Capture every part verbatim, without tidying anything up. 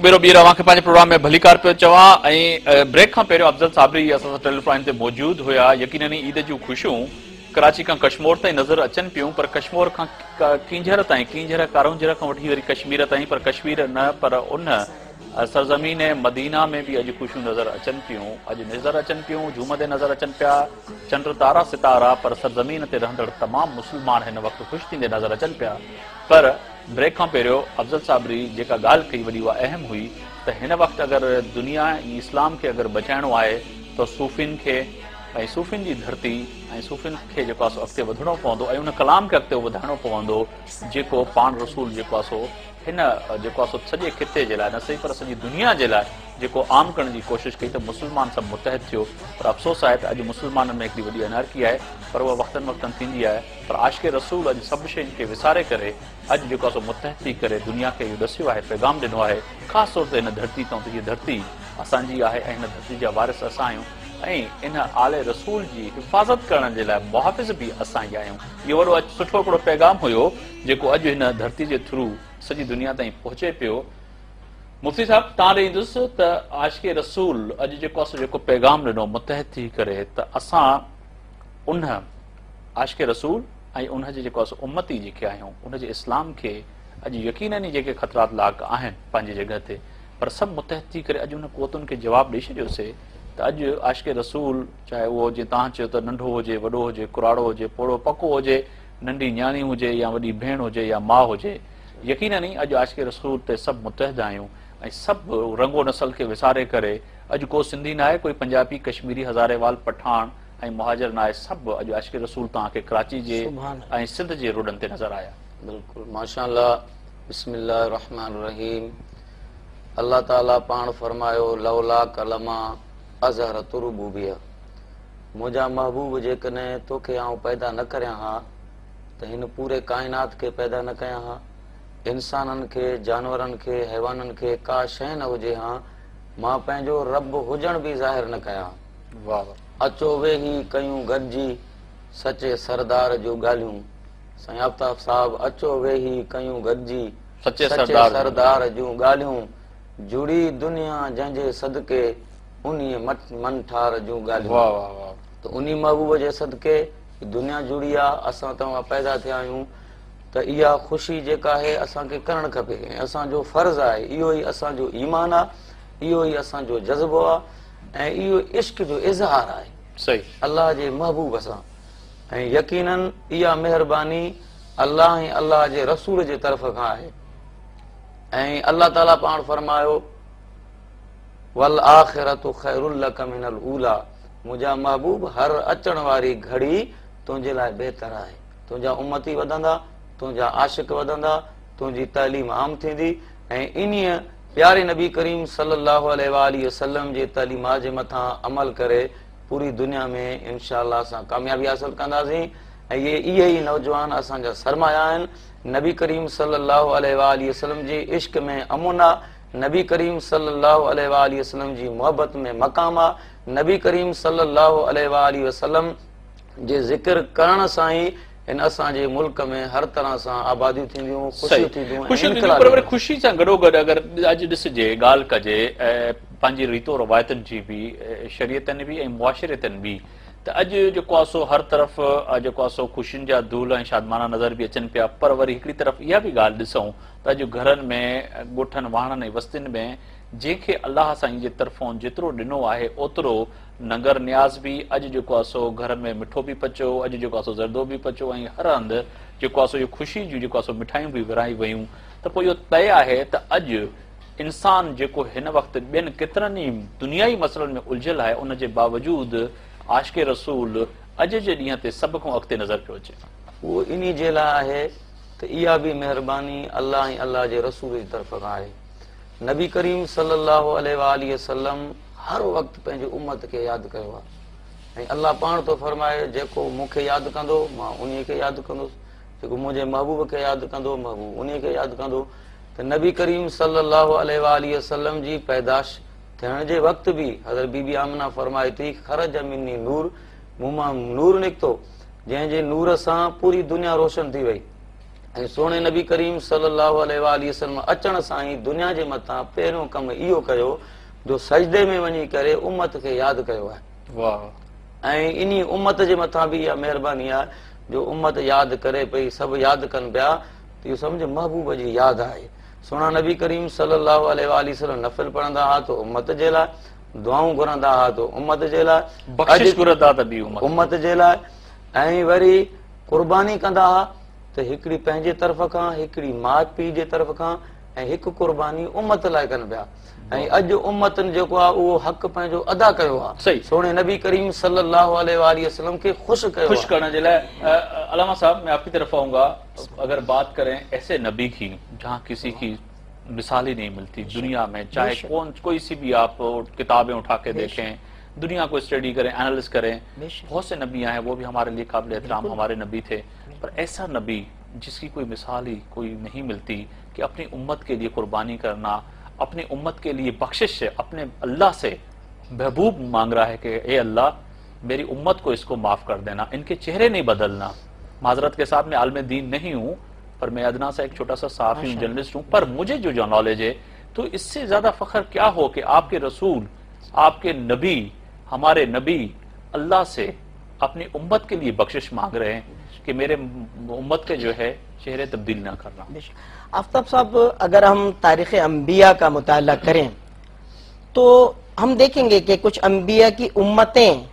भेरो ॿीहर अव्हां खे पंहिंजे प्रोग्राम में भलीकार पियो चवां। ऐं ब्रेक खां पहिरियों अफ़ज़ल साबरी असां सां टेलीफोन ते मौजूदु हुया। यकीनन ईद जूं ख़ुशियूं कराची खां कश्मीर ताईं नज़र अचनि पियूं, पर कश्मीर खां कींझर ताईं, कींझर कारोंझर खां वठी वरी कश्मीर ताईं, पर कश्मीर न पर उन सरज़मीन मदीना में बि अॼु ख़ुशियूं नज़र अचनि पियूं। अॼु नज़र अचनि पियूं, झूमंदे नज़र अचनि पिया चंड तारा सितारा, पर सरज़मीन ते रहंदड़ तमामु मुस्लमान हिन वक़्तु ख़ुशि थींदे नज़र अचनि पिया। पर ब्रेक खां पहिरियों अफ़ज़ल साबरी जेका ॻाल्हि कई वॾी उहा अहम हुई त हिन वक़्तु अगरि दुनिया ऐं इस्लाम खे अगरि बचाइणो आहे त सूफ़ियुनि खे ऐं सूफ़ियुनि जी धरती ऐं सूफ़ियुनि खे जेको आहे सो अॻिते वधणो पवंदो ऐं उन कलाम खे अॻिते वधाइणो पवंदो जेको पाण रसूल जेको आहे सो हिन जेको आहे सो सॼे ख़िते जे लाइ न सही पर सॼी दुनिया जे लाइ जेको आम करण जी कोशिशि कई त मुस्लमान सभु मुतहद थियो। पर अफ़सोस आहे त अॼु मुस्लमाननि में हिकिड़ी वॾी अनारकी आहे, पर उहा वक़्तनि वक़्तनि थींदी आहे। पर आशिक रसूल अॼु सभु शयुनि खे विसारे करे अॼु जेको आहे सो मुतहद थी करे दुनिया खे इहो ॾसियो आहे, पैगाम ॾिनो आहे, ख़ासि तौर ते हिन धरती तां त हीअ धरती असांजी आहे ऐं हिन धरती जा वारिस असां आहियूं ऐं इन आले रसूल जी हिफ़ाज़त करण जे लाइ मुहाफ़िज़ बि असां ई आहियूं। इहो वॾो सुठो हिकिड़ो पैगाम हुयो जेको अॼु हिन धरती जे थ्रू सॼी दुनिया ताईं पहुचे पियो। मुफ्ती साहिबु, तव्हां ॾे ईंदुसि त आशिक रसूल अॼु जेको आहे सो जेको पैगाम ॾिनो मुतहद थी करे त असां उन आशिक रसूल ऐं उन जे जेको आहे सो उम्मती जेके आहियूं उन जे इस्लाम खे अॼु यकीनन ई जेके ख़तरात लाहिक़ आहिनि पंहिंजी जॻह ते, पर सभु मुतहद थी करे अॼु उन कुवतुनि खे जवाबु ॾेई छॾियोसीं त अॼु आशिक रसूल चाहे उहो जीअं तव्हां चयो त नंढो हुजे, वॾो हुजे, कुराड़ो हुजे, पोड़ो पको हुजे, नंढी नियाणी हुजे या वॾी भेण हुजे या माउ हुजे, यकीनन ई अॼु आशिक रसूल ते सभु मुतहद आहियूं ऐं सभु रंगो नस्ल खे विसारे करे अॼु को सिंधी न आहे, कोई पंजाबी, कश्मीरी, हज़ारेवाल, पठान ऐं मुहाजिर न आहे, सभु अॼु आशिक रसूल तव्हांखे कराची जे ऐं सिंध जे रोडनि ते नज़र आया। बिल्कुलु, माशाअल्लाह। बिस्मिल्लाहिर रहमानिर रहीम। अल्लाह ताला पाण फरमायो, लौला कलमा अज़हरत रुबूबिया, मुंहिंजा महबूब जेकॾहिं तोखे आउं पैदा न करियां हा त हिन पूरे काइनात खे पैदा न कयां हा, इंसाननि खे, जानवरनि खे, हैवाननि खे का शइ न हुजे हा, मां पंहिंजो रब हुजण बि ज़ाहिर न कयां। वाह। अचो वेही कयूं गॾिजी सचे सरदार जूं ॻाल्हियूं। साईं आफ्ताब साहब, अचो वेही कयूं गॾिजी सचे सरदार जूं ॻाल्हियूं, जुड़ी दुनिया जंहिंजे सदके उन्ही मनठार जूं ॻाल्हियूं। वाह वाह वाह। त उन्ही महबूब जे सदके दुनिया जुड़ी आहे, असां तव्हां पैदा थिया आहियूं, त इहा ख़ुशी जेका आहे असांखे करणु खपे ऐं असांजो फ़र्ज़ आहे। इहो ई असांजो ईमान आहे, इहो ई असांजो जज़्बो आहे ऐं इहो इश्क जो इज़हार आहे सही अल्लाह जे महबूब सां। ऐं यकीनन इहा महिरबानी अल्लाह ऐं अल्लाह जे रसूल जे तरफ़ खां आहे। ऐं अल्लाह ताला पाण फरमायो, वल आखिरतु खैरुल लक मिनल ऊला, मुंहिंजा महबूब हर अचण वारी घड़ी तुंहिंजे लाइ बहितर आहे। तुंहिंजा उम्मती वधंदा, तुंहिंजा आशिक वधंदा, तुंहिंजी तालीम आम थींदी ऐं इन्हीअ प्यारे नबी करीम सल्लल्लाहु अलैहि वसल्लम जे तालीमात जे मथां अमल करे पूरी दुनिया में इंशाअल्लाह असां कामयाबी हासिल कंदासीं। ऐं इहे इहे ई नौजवान असांजा सरमाया आहिनि। नबी करीम सल्लल्लाहु अलैहि वसल्लम जे इश्क में अमुन आहे, नबी करीम सल्लल्लाहु अलैहि वसल्लम जी मोहब्बत में मक़ाम आहे, नबी करीम सल्लल्लाहु अलैहि वसल्लम जे ज़िक्र करण सां ई इन असांजे मुल्क में हर तरह सां आबादियूं थींदियूं, ख़ुशियूं थींदियूं। ख़ुशियूं थींदियूं, पर वरी ख़ुशी सां गॾोगॾु अगरि अॼु ॾिसजे, ॻाल्हि कजे पंहिंजी रीतो रवायतुनि जी बि, शरीयतनि बि ऐं मुआशिरतनि बि, त अॼु जेको आहे सो हर तरफ़ जेको आहे सो ख़ुशियुनि जा धूल ऐं शादमाना नज़र बि अचनि पिया। पर वरी हिकिड़ी तरफ़ इहा बि ॻाल्हि ॾिसूं त अॼु घरनि में, ॻोठनि, वाहणनि ऐं वस्तियुनि में जंहिंखे अल्लाह साईं जे तरफ़ों जेतिरो ॾिनो आहे ओतिरो नंगर नियाज़ बि अॼु जेको आहे सो घर में मिठो बि पचो, अॼु जेको आहे सो ज़रदो बि पचो ऐं हर हंधि जेको आहे सो इहो ख़ुशी जूं जेको आहे सो मिठाइयूं बि विराई वयूं। त पोइ इहो तय आहे त अॼु इंसान जेको हिन वक़्तु ॿियनि केतिरनि ई दुनियाई मसइलनि में उलझियल आहे, उन जे बावजूद आशिक रसूल अॼु जे ॾींहं ते सभ खां अॻिते नज़र पियो अचे। उहो इन जे लाइ आहे त इहा बि महिरबानी अल्लाह ऐं अल्लाह जे रसूल जी तरफ़ खां आहे। नबी करीम सल्लल्लाहु अलैहि वसल्लम हर वक़्तु पंहिंजी उम्मत खे यादि कयो आहे ऐं अल्लाह पाण थो फरमाए, जेको मूंखे यादि कंदो मां उन्हीअ खे यादि कंदुसि, जेको मुंहिंजे महबूब खे यादि कंदो महबूब उन्हीअ खे यादि कंदो। त नबी करीम सल्लल्लाहु अलैहि वसल्लम जी पैदाइश थियण जे वक़्तु बि हज़रत बीबी आमना फरमाए थी, खरज मिन्नी नूर, मूं मां नूर निकितो जंहिंजे नूर सां पूरी दुनिया रोशन थी वई। ऐं सोणे नबी करीम सल्लल्लाहु अलैहि वसल्लम अचण सां ई दुनिया जे मथां पहिरियों कमु इहो कयो जो सजदे में वञी करे उम्मत खे यादि कयो आहे। वाह। ऐं इन्ही उम्मत जे मथां बि इहा महिरबानी आहे जो उम्मत यादि करे पई, सभु यादि कनि पिया, त इहो सम्झ महबूब जी यादि आहे। सोणा नबी करीम सल्लल्लाहु अलैहि वसल्लम नफ़िल पढ़ंदा हुआ त उम्मत जे लाइ, दुआऊं घुरंदा हुआ त उम्मत जे लाइ, बख़्शिश घुरंदा त बि उम्मत जे लाइ, ऐं वरी कुर्बानी कंदा हुआ त हिकिड़ी पंहिंजे तरफ़ खां, हिकिड़ी माउ पीउ जे तरफ़ खां, ऐं हिकु कुर्बानी उम्मत लाइ कनि पिया। ऐं अॼु उम्मतनि जेको आहे उहो हक़ पंहिंजो अदा कयो आहे, सोणे नबी करीम सल्लल्लाहु अलैहि वसल्लम खे ख़ुशि कयो। ख़ुशि करण जे लाइ अलामा साहब मैं आपकी तरफ आऊंगा। अगर बात करें ऐसे नबी की जहाँ किसी की मिसाल ही नहीं मिलती दुनिया में, चाहे कौन कोई सी भी आप किताबें उठा के देखें, दुनिया को स्टडी करें, एनालिस करें, बहुत से नबी आए वो भी हमारे लिए काबिल एहतराम हमारे नबी थे, पर ऐसा नबी जिसकी कोई मिसाल ही कोई नहीं मिलती कि अपनी उम्मत के लिए कुर्बानी करना, अपनी उम्मत के लिए बख्शिश अपने अल्लाह से महबूब मांग रहा है कि ए अल्लाह मेरी उम्मत को इसको माफ़ कर देना, इनके चेहरे नहीं बदलना। माजरत के साथ मैं आलम दीन नहीं हूँ, पर मैं अदना सा एक छोटा सा सहाफ़ी जर्नलिस्ट हूँ, पर मुझे जो जो नॉलेज है तो इससे ज़्यादा फ़ख्र क्या हो कि आपके रसूल, आपके नबी, हमारे नबी अल्लाह से अपनी उम्मत के लिए बख्शिश मांग रहे हैं कि मेरे उम्मत के जो है चेहरे तब्दील ना करना। आफ्ताब साहब, अगर हम तारीख़ अंबिया का मुताला करें तो हम देखेंगे कि कुछ अंबिया की उम्मतें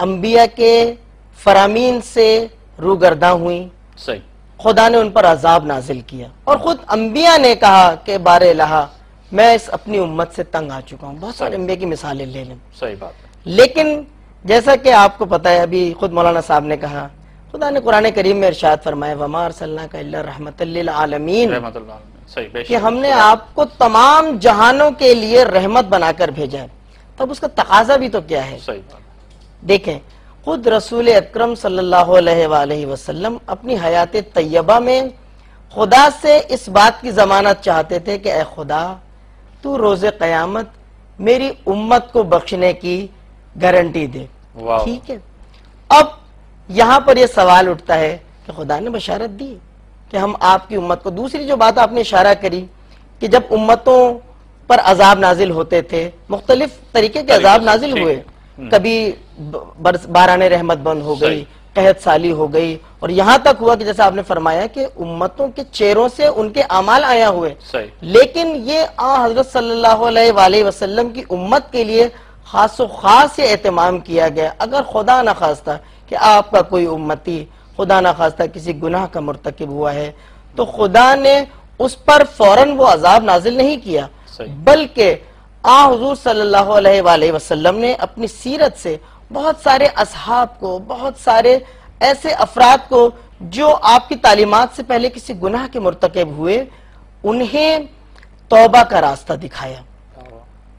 अंबिया के फरामीन से रूगर्दा हुई, सही, खुदा ने उन पर अजाब नाजिल किया और खुद अंबिया ने कहा कि बारे लहा मैं इस अपनी उम्मत से तंग आ चुका हूँ। बहुत सारे अंबिया की मिसालें ले लें, सही बात। लेकिन जैसा कि आपको पता है, अभी खुद मौलाना साहब ने कहा, खुदा ने कुरान करीम में इरशाद फरमाया वमा अरसलनाका इल्ला रहमतल लिल आलमीन, कि हमने आपको तमाम जहानों के लिए रहमत बनाकर भेजा है। तब उसका तकाजा भी तो क्या है? सही बात। देखें, खुद रसूल अकरम सल्लल्लाहु अलैहि वसल्लम अपनी हयात तैयबा में खुदा से इस बात की जमानत चाहते थे कि ए खुदा, तू रोज़े क़यामत मेरी उम्मत को बख्शने की गारंटी दे। ठीक है, अब यहाँ पर यह सवाल उठता है कि खुदा ने बशारत दी कि हम आपकी उम्मत को, दूसरी जो बात आपने इशारा करी कि जब उम्मतों पर अजाब नाजिल होते थे, मुख्तलिफ तरीके के अजाब नाजिल हुए, कभी बारान रहमत बंद हो गई, कहत साली हो गई, और यहाँ तक हुआ कि जैसा आपने फरमाया कि उम्मतों के चेहरों से उनके अमाल आया हुए। लेकिन ये आ हजरत सल्लल्लाहु अलैहि वसल्लम की उम्मत के लिए खास खास ये एहतमाम किया गया। अगर खुदा न खास्ता कि आपका कोई उम्मती खुदा न खास्ता किसी गुनाह का मुर्तकिब हुआ है तो खुदा ने उस पर फौरन वो अजाब नाजिल नहीं किया, बल्कि आ हुजूर सल्लल्लाहु अलैहि वसल्लम ने अपनी सीरत से बहुत सारे असहाब को, बहुत सारे ऐसे अफराद को जो आपकी तालीमात से पहले किसी गुनाह के मुर्तकिब हुए, उन्हें तौबा का रास्ता दिखाया।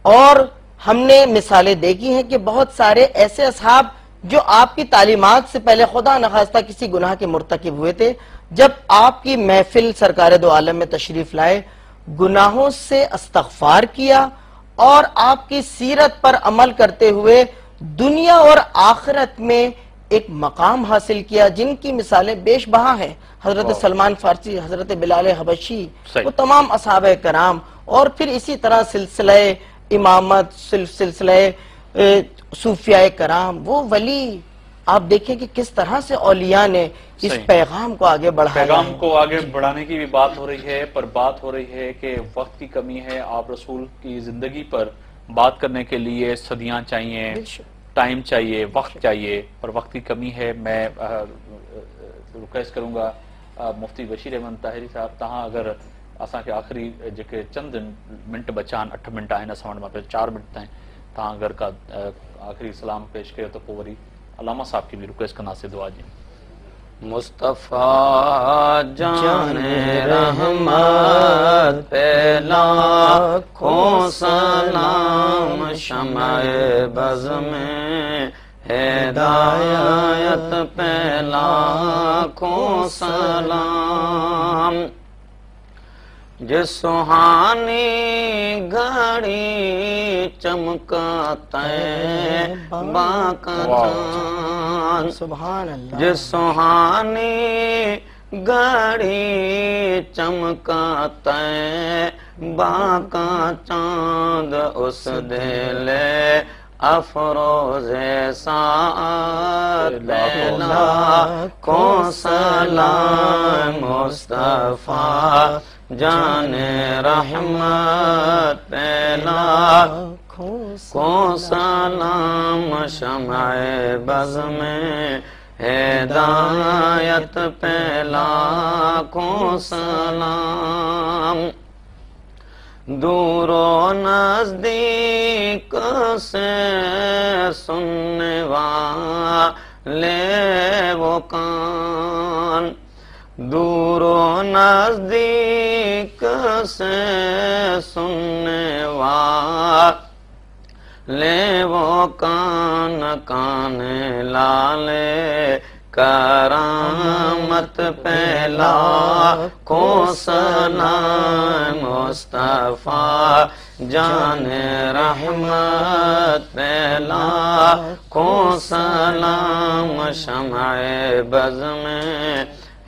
और हमने मिसालें देखी हैं कि बहुत सारे ऐसे असहाब जो आपकी तालीमात से पहले खुदा नखास्ता किसी गुनाह के मुर्तकिब हुए थे, जब आपकी महफिल सरकार दो आलम में तशरीफ लाए, गुनाहों से इस्तग़फ़ार किया और आपकी सीरत पर अमल करते हुए दुनिया और आखिरत में एक मकाम हासिल किया, जिनकी मिसालें बेशबहा हैं। हजरत सलमान फारसी, हजरत बिलाल हबशी, वो तमाम असहाब कराम, और फिर इसी तरह सिलसिले इमामत, सिलसिले सूफियाए कराम, वो वली, आप देखें कि किस तरह से औलिया ने इस पैगाम को आगे बढ़ाया। पैगाम को आगे बढ़ाने की भी बात हो रही है, पर बात हो रही है कि वक्त की कमी है। आप रसूल की जिंदगी पर बात करने के लिए सदियां चाहिए, टाइम चाहिए, वक्त चाहिए, पर वक्त की कमी है। मैं रिक्वेस्ट करूंगा मुफ्ती बशीर अहमद ताहिरी साहब, तहां अगर असांखे आख़िरी जेके चंद मिंट बचा आहिनि, अठ मिंट आहिनि असां वटि, मां चारि मिंट ताईं तव्हां अगरि का आख़िरी सलाम पेश कयो त पोइ वरी अलामा साहब खे बि रिक्वेस्ट कंदासीं दुआ जी। मुस्तफ़ा जान रहमत पे लाखों सलाम, शम्अ बज़्म हिदायत पे लाखों सलाम। जिस सुहानी घड़ी चमकाता है बाका चांद, सुभान अल्लाह। जिस सुहानी घड़ी चमका तैबा का चांद उस दिले अफरोज़े सात लाखों सलाम मुस्तफा जाने रहमत पे लाखों सलाम शम्अ बज़्म हिदायत पे लाखों सलाम। दूरो नजदीक से सुनने वाले वो कान, दूरो नजदीक से सुनने वाले वो कान, कान लाले करामत पे लाखों सलाम मुस्तफा जाने रहमत पे लाखों सलाम शम्अ बज़्म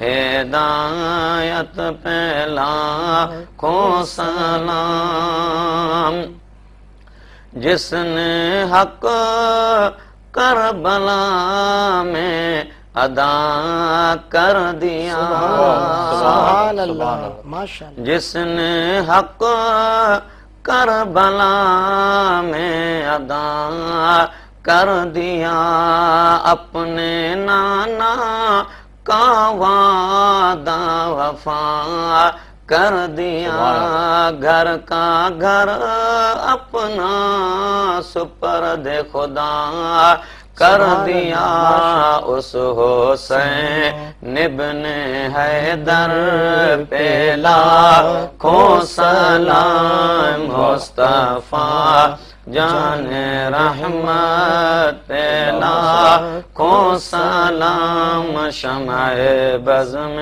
हिदायत पे लाखों सलाम। जिसने हक करबला में अदा कर दिया, सुभान अल्लाह, माशाअल्लाह। जिसने हक करबला में अदा कर दिया, अपने नाना का वादा वफा कर दिया, घर का घर अपना सुपर्द खुदा कर दिया, उस हुसैन इब्ने हैदर पे लाखों सलाम मुस्तफा जाने रहमत पे लाखों सलाम शम्अ बज़्म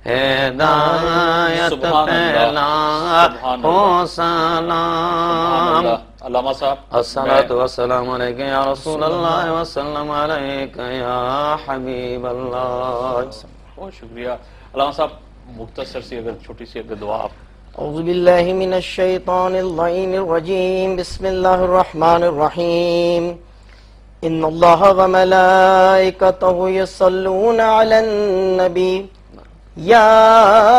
हिदायत पे लाखों सलाम। अल्लामा साहब, अस्सलातु वस्सलामु अलैका या रसूल अल्लाह वसल्लम अलैका या हबीब अल्लाह। बहुत शुक्रिया अल्लामा साहब। मुख्तसर सी अगर छोटी सी अगर दुआ आप। औज़ु बिल्लाहि मिनश शैतानिर रजीम रजीम बिस्मिल्लाहिर रहमानिर रहीम। इन्नल्लाह व मलाइकतहु युसल्लूना अलन नबी या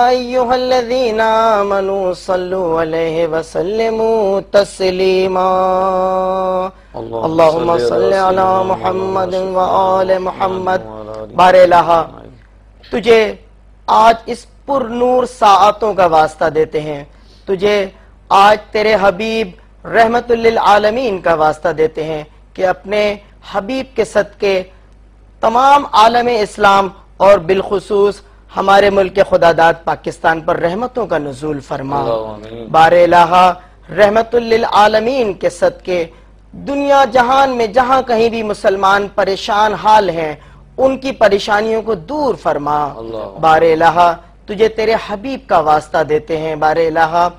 अय्युहल्लज़ीना आमनू सल्लू अलैहि वसल्लिमू तस्लीमा। अल्लाहुम्मा सल्लि अला मुहम्मद व आले मुहम्मद। बारे इलाहा, तुझे आज इस पुरनूर साआतों का वास्ता देते हैं, तुझे आज तेरे हबीब रहमतुल लिल आलमीन का वास्ता देते हैं कि अपने हबीब के सदके तमाम आलम इस्लाम और बिलखुसूस हमारे मुल्क खुदादाद पाकिस्तान पर रहमतों का नुज़ूल फरमा। बारे इलाहा, रहमतुल लिल आलमीन के सदके दुनिया जहान में जहां कहीं भी मुसलमान परेशान हाल हैं उनकी परेशानियों को दूर फरमा। बारे इलाहा, तुझे तेरे हबीब का वास्ता देते हैं। बारे इलाहा,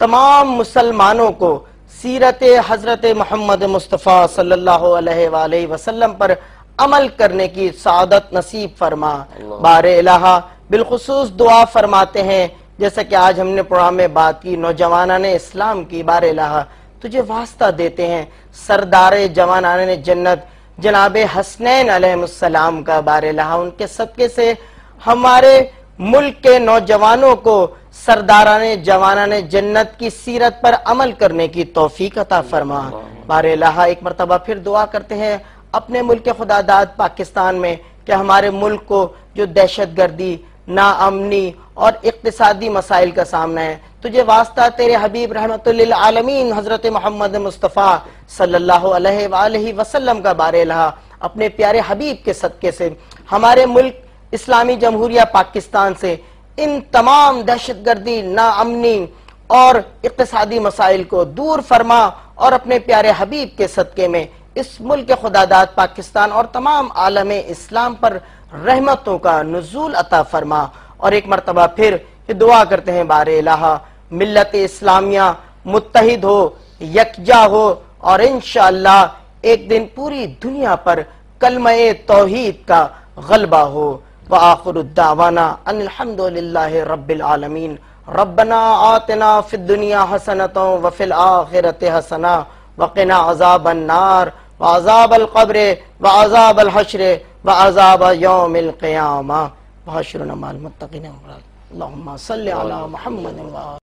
तमाम मुसलमानों को सीरत हजरत मोहम्मद मुस्तफ़ा सल्लल्लाहु अलैहि वसल्लम पर अमल करने की सआदत नसीब फरमा। बारे इलाहा, बिलखुसूस दुआ फरमाते हैं जैसा कि आज हमने प्रोग्राम में बात की नौजवानाने इस्लाम की। बारे इलाहा, तुझे वास्ता देते हैं सरदार जवानाने जन्नत जनाब हसनैन अलैहिस्सलाम का। बारे इलाहा, उनके सदके से हमारे मुल्क के नौजवानों को सरदाराने जवानाने जन्नत की सीरत पर अमल करने की तौफीक अता फरमा। बारे इलाहा, एक मरतबा फिर दुआ करते हैं अपने मुल्क खुदादाद पाकिस्तान में कि हमारे मुल्क को जो दहशत गर्दी, नाअमनी और इक्तिसादी मसाइल का सामना है, तुझे वास्ता तेरे हबीब रहमतुल लिल आलमीन हजरत मोहम्मद मुस्तफ़ा सल्लल्लाहु अलैहि वसल्लम का। बारे इलाहा, अपने प्यारे हबीब के सदके से हमारे मुल्क इस्लामी जमहूरिया पाकिस्तान से इन तमाम दहशत गर्दी, नाअमनी और इक्तिसादी मसाइल को दूर फरमा और अपने प्यारे हबीब के सदके में इस मुल्क खुदादाद पाकिस्तान और तमाम आलम इस्लाम पर रहमतों का नुज़ूल अता फरमा। और एक मरतबा फिर दुआ करते हैं बारे इलाहा, मिल्लत इस्लामिया मुत्तहिद हो, यकजा हो और इंशाअल्लाह एक दिन पूरी दुनिया पर कलमा तौहीद का गलबा हो। व आखिरु दावाना अनिल हम्दुलिल्लाहि रब्बिल आलमीन। रब्बना आतिना फिद दुनिया हसनतन व फिल आखिरति हसना व क़िना अज़ाबन नार व अज़ाबल क़ब्र व अज़ाबल हश्र व अज़ाब यौमिल क़ियामा व हश्रना मअल मुत्तक़ीन। अल्लाहुम्मा सल्लि अला मुहम्मद।